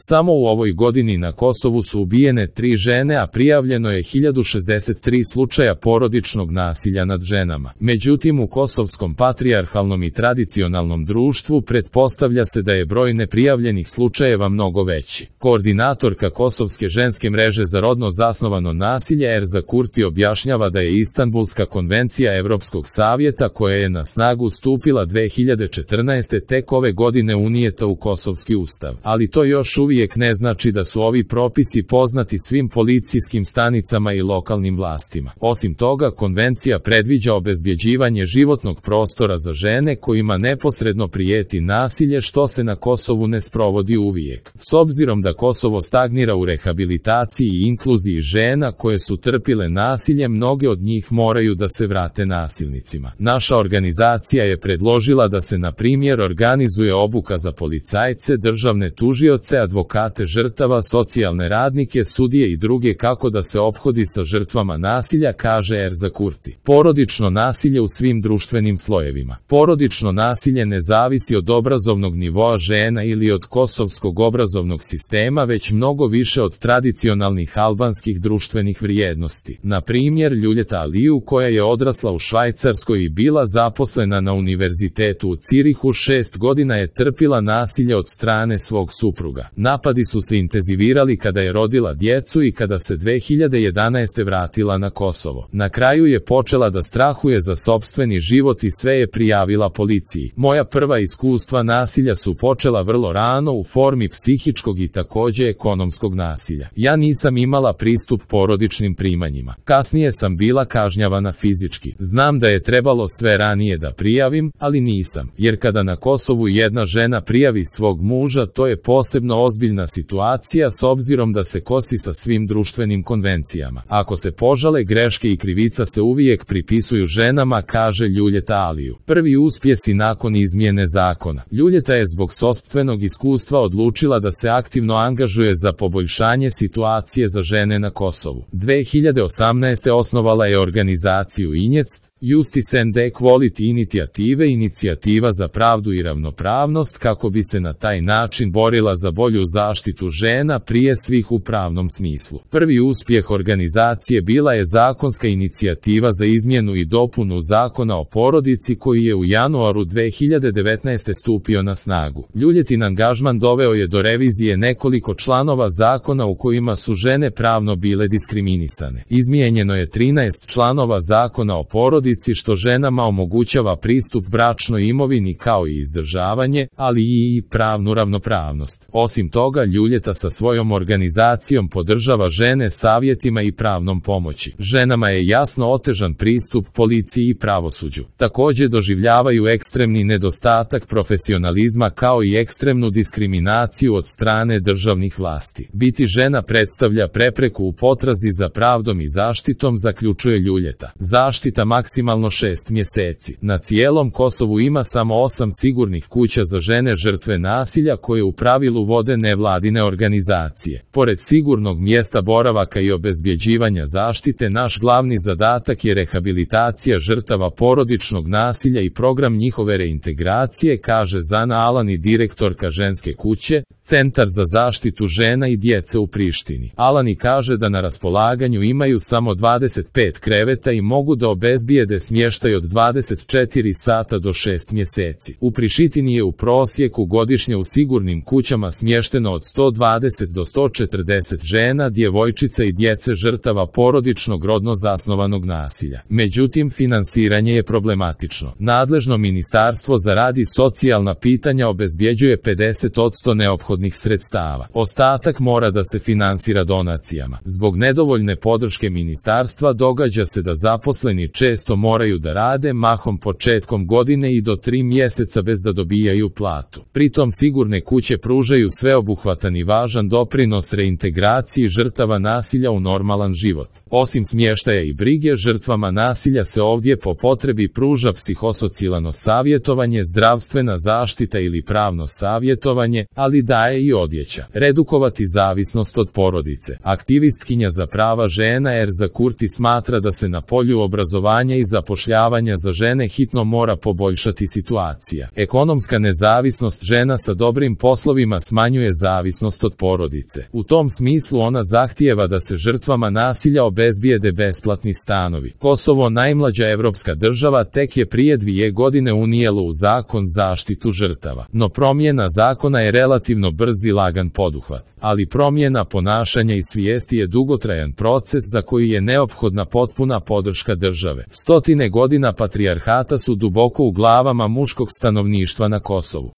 Samo u ovoj godini na Kosovu su ubijene 3 žene, a prijavljeno je 1063 slučaja porodičnog nasilja nad ženama. Međutim, u kosovskom patrijarhalnom i tradicionalnom društvu pretpostavlja se da je broj neprijavljenih slučajeva mnogo veći. Koordinatorka Kosovske ženske mreže za rodno zasnovano nasilje Erza Kurti objašnjava da je Istanbulska konvencija Evropskog savjeta, koja je na snagu stupila 2014. tek ove godine unijeta u kosovski ustav. Ali to još uvijek ne znači da su ovi propisi poznati svim policijskim stanicama i lokalnim vlastima. Osim toga, konvencija predviđa obezbjeđivanje životnog prostora za žene kojima neposredno prijeti nasilje, što se na Kosovu ne sprovodi uvijek. S obzirom da Kosovo stagnira u rehabilitaciji i inkluziji žena koje su trpile nasilje, mnoge od njih moraju da se vrate nasilnicima. Naša organizacija je predložila da se, na primjer, organizuje obuka za policajce, državne tužioce, advokate žrtava, socijalne radnike, sudije i druge kako da se ophodi sa žrtvama nasilja, kaže Erza Kurti. Porodično nasilje u svim društvenim slojevima. Porodično nasilje ne zavisi od obrazovnog nivoa žena ili od kosovskog obrazovnog sistema, već mnogo više od tradicionalnih albanskih društvenih vrijednosti. Na primjer, Ljuljeta Aliju, koja je odrasla u Švajcarskoj i bila zaposlena na univerzitetu u Cirihu, 6 godina je trpila nasilje od strane svog supruga. Napadi su se intenzivirali kada je rodila djecu i kada se 2011. vratila na Kosovo. Na kraju je počela da strahuje za sopstveni život i sve je prijavila policiji. Moja prva iskustva nasilja su počela vrlo rano u formi psihičkog i također ekonomskog nasilja. Ja nisam imala pristup porodičnim primanjima. Kasnije sam bila kažnjavana fizički. Znam da je trebalo sve ranije da prijavim, ali nisam. Jer kada na Kosovu jedna žena prijavi svog muža, to je posebno ozbiljna situacija s obzirom da se kosi sa svim društvenim konvencijama. Ako se požale, greške i krivica se uvijek pripisuju ženama, kaže Ljuljeta Aliju. Prvi uspjesi nakon izmjene zakona. Ljuljeta je zbog sopstvenog iskustva odlučila da se aktivno angažuje za poboljšanje situacije za žene na Kosovu. 2018. osnovala je organizaciju Injec, Justice and Equality Inicijative, inicijativa za pravdu i ravnopravnost, kako bi se na taj način borila za bolju zaštitu žena, prije svih u pravnom smislu. Prvi uspjeh organizacije bila je zakonska inicijativa za izmjenu i dopunu Zakona o porodici, koji je u januaru 2019. stupio na snagu. Ljuljetin angažman doveo je do revizije nekoliko članova zakona u kojima su žene pravno bile diskriminisane. Izmijenjeno je 13 članova Zakona o porodici, što ženama omogućava pristup bračnoj imovini kao i izdržavanje, ali i pravnu ravnopravnost. Osim toga, Ljuljeta sa svojom organizacijom podržava žene savjetima i pravnom pomoći. Ženama je jasno otežan pristup policiji i pravosuđu. Također doživljavaju ekstremni nedostatak profesionalizma kao i ekstremnu diskriminaciju od strane državnih vlasti. Biti žena predstavlja prepreku u potrazi za pravdom i zaštitom, zaključuje Ljuljeta. Zaštita maksimalno 6 mjeseci. Na cijelom Kosovu ima samo 8 sigurnih kuća za žene žrtve nasilja, koje u pravilu vode nevladine organizacije. Pored sigurnog mjesta boravaka i obezbjeđivanja zaštite, naš glavni zadatak je rehabilitacija žrtava porodičnog nasilja i program njihove reintegracije, kaže Zana Alani, direktorka ženske kuće, Centar za zaštitu žena i djece u Prištini. Alani kaže da na raspolaganju imaju samo 25 kreveta i mogu da obezbijede smještaj od 24 sata do 6 mjeseci. U Prištini je u prosjeku godišnje u sigurnim kućama smješteno od 120 do 140 žena, djevojčica i djece žrtava porodičnog rodno zasnovanog nasilja. Međutim, finansiranje je problematično. Nadležno Ministarstvo za rad i socijalna pitanja obezbjeđuje 50% neophodnih sredstava. Ostatak mora da se finansira donacijama. Zbog nedovoljne podrške ministarstva događa se da zaposleni često moraju da rade mahom početkom godine i do 3 mjeseca bez da dobijaju platu. Pritom sigurne kuće pružaju sveobuhvatan i važan doprinos reintegraciji žrtava nasilja u normalan život. Osim smještaja i brige, žrtvama nasilja se ovdje po potrebi pruža psihosocijalno savjetovanje, zdravstvena zaštita ili pravno savjetovanje, ali daje i odjeća. Redukovati zavisnost od porodice. Aktivistkinja za prava žena Erza Kurti smatra da se na polju obrazovanja i zapošljavanja za žene hitno mora poboljšati situacija. Ekonomska nezavisnost žena sa dobrim poslovima smanjuje zavisnost od porodice. U tom smislu ona zahtijeva da se žrtvama nasilja obezbijede besplatni stanovi. Kosovo, najmlađa evropska država, tek je prije 2 godine unijelo u zakon zaštitu žrtava. No promjena zakona je relativno brz i lagan poduhvat. Ali promjena ponašanja i svijesti je dugotrajan proces za koji je neophodna potpuna podrška države. Stotine godina patrijarhata su duboko u glavama muškog stanovništva na Kosovu.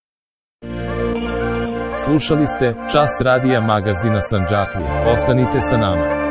Slušali ste Čas radija magazina Sandžaklija. Ostanite sa nama.